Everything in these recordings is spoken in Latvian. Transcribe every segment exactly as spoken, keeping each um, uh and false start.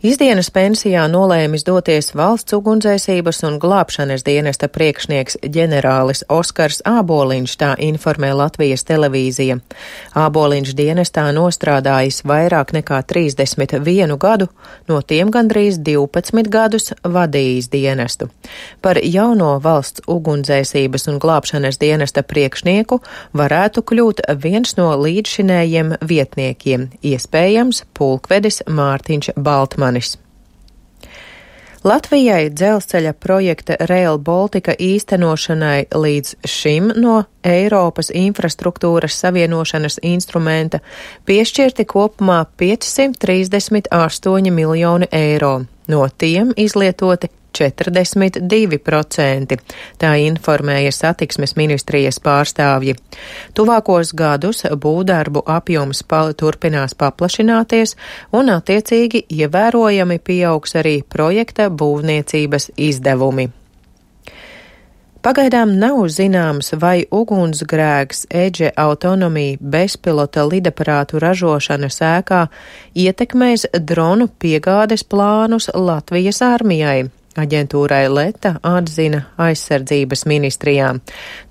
Izdienas pensijā nolēmis doties valsts ugunsdzēsības un glābšanas dienesta priekšnieks ģenerālis Oskars Āboliņš, tā informē Latvijas televīzija. Āboliņš dienestā nostrādājis vairāk nekā trīsdesmit vienu gadu, no tiem gandrīz divpadsmit gadus vadījis dienestu. Par jauno valsts ugunsdzēsības un glābšanas dienesta priekšnieku varētu kļūt viens no līdzšinējiem vietniekiem, iespējams pulkvedis Mārtiņš Baltmanis. Latvijai dzelzceļa projekta Rail Baltica īstenošanai līdz šim no Eiropas infrastruktūras savienošanas instrumenta piešķirti kopumā piecsimt trīsdesmit astoņi miljoni eiro, no tiem izlietoti četrdesmit divi procenti, tā informēja satiksmes ministrijas pārstāvji. Tuvākos gadus būvdarbu apjoms pa, turpinās paplašināties un attiecīgi ievērojami pieaugs arī projekta būvniecības izdevumi. Pagaidām nav zināms, vai ugunsgrēks Edge Autonomy bezpilota lidaparātu ražošanas ēkā ietekmēs dronu piegādes plānus Latvijas armijai. Aģentūrai Leta atzina aizsardzības ministrijā.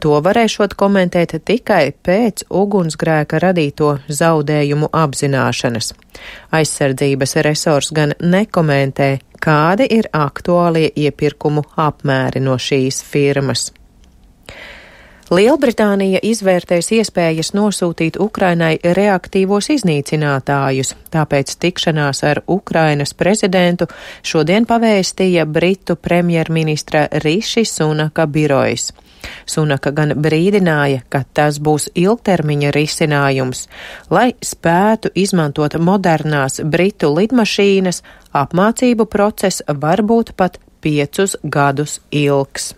To varēšot komentēt tikai pēc ugunsgrēka radīto zaudējumu apzināšanas. Aizsardzības resors gan nekomentē, kādi ir aktuālie iepirkumu apmēri no šīs firmas. Lielbritānija izvērtēs iespējas nosūtīt Ukrainai reaktīvos iznīcinātājus, tāpēc tikšanās ar Ukrainas prezidentu šodien pavēstīja Britu premjerministra Riši Sunaka birojs. Sunaka gan brīdināja, ka tas būs ilgtermiņa risinājums, lai spētu izmantot modernās Britu lidmašīnas, apmācību process var būt pat piecus gadus ilgs.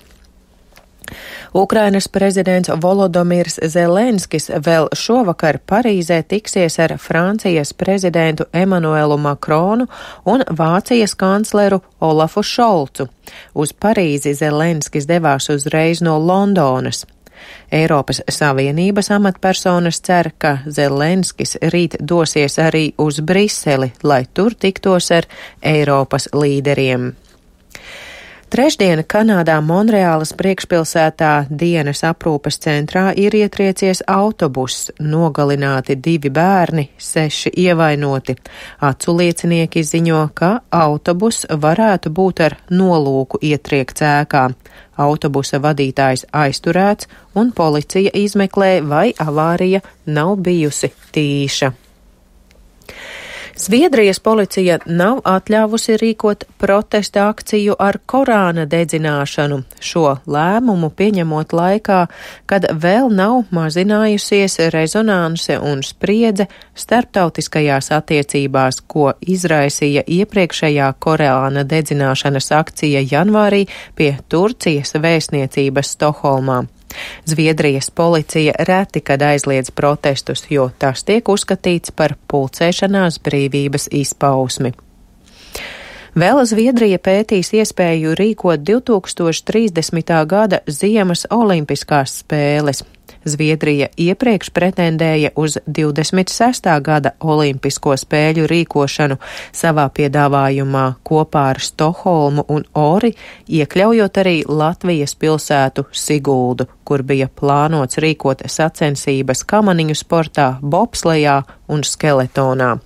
Ukrainas prezidents Volodomirs Zelenskis vēl šovakar Parīzē tiksies ar Francijas prezidentu Emanuelu Makronu un Vācijas kancleru Olafu Šolcu. Uz Parīzi Zelenskis devās uzreiz no Londonas. Eiropas Savienības amatpersonas cer, ka Zelenskis rīt dosies arī uz Briseli, lai tur tiktos ar Eiropas līderiem. Trešdien Kanādā Monreālas priekšpilsētā dienas aprūpes centrā ir ietriecies autobuss, nogalināti divi bērni, seši ievainoti. Acu liecinieki ziņo, ka autobuss varētu būt ar nolūku ietriekts ēkā. Autobusa vadītājs aizturēts un policija izmeklē, vai avārija nav bijusi tīša. Zviedrijas policija nav atļāvusi rīkot protesta akciju ar Korāna dedzināšanu, šo lēmumu pieņemot laikā, kad vēl nav mazinājusies rezonanse un spriedze starptautiskajās attiecībās, ko izraisīja iepriekšējā Korāna dedzināšanas akcija janvārī pie Turcijas vēstniecības Stokholmā. Zviedrijas policija reti kad aizliedz protestus, jo tas tiek uzskatīts par pulcēšanās brīvības izpausmi. Vēl Zviedrija pētīs iespēju rīkot divi tūkstoši trīsdesmitā gada ziemas olimpiskās spēles. Zviedrija iepriekš pretendēja uz divdesmit sestā gada olimpisko spēļu rīkošanu savā piedāvājumā kopā ar Stokholmu un Ori, iekļaujot arī Latvijas pilsētu Siguldu, kur bija plānots rīkot sacensības kamaniņu sportā, bobslejā un skeletonā.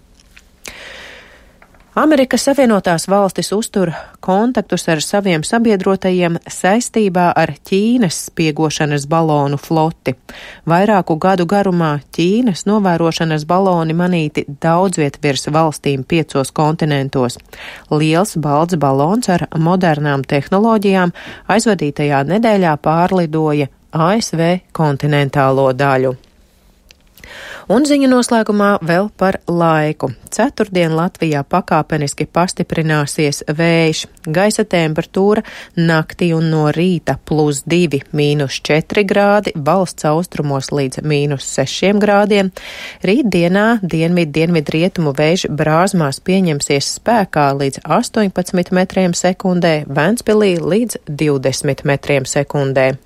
Amerikas Savienotās valstis uztur kontaktus ar saviem sabiedrotajiem saistībā ar Ķīnas spiegošanas balonu floti. Vairāku gadu garumā Ķīnas novērošanas baloni manīti daudzviet virs valstīm piecos kontinentos. Liels balts balons ar modernām tehnoloģijām aizvadītajā nedēļā pārlidoja A S V kontinentālo daļu. Un ziņu noslēgumā vēl par laiku. Ceturtdien Latvijā pakāpeniski pastiprināsies vējš, gaisa temperatūra naktī un no rīta plus divi, mīnus četri grādi, valsts austrumos līdz mīnus sešiem grādiem. Rītdienā dienvid dienvid rietumu vējš Brāzmās pieņemsies spēkā līdz astoņpadsmit metriem sekundē, Ventspilī līdz divdesmit metriem sekundē.